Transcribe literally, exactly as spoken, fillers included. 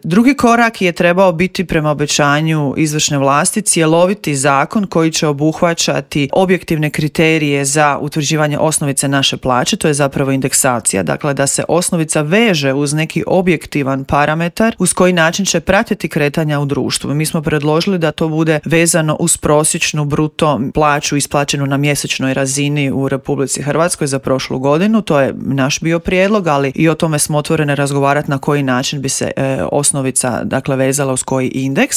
Drugi korak je trebao biti prema obećanju izvršne vlasti cjeloviti zakon koji će obuhvaćati objektivne kriterije za utvrđivanje osnovice naše plaće, to je zapravo indeksacija, dakle da se osnovica veže uz neki objektivan parametar uz koji način će pratiti kretanja u društvu. Mi smo predložili da to bude vezano uz prosječnu bruto plaću isplaćenu na mjesečnoj razini u Republici Hrvatskoj za prošlu godinu, to je naš bio prijedlog, ali i o tome smo otvorene razgovarati na koji način bi se e, osnovica dakle vezala uz koji indeks.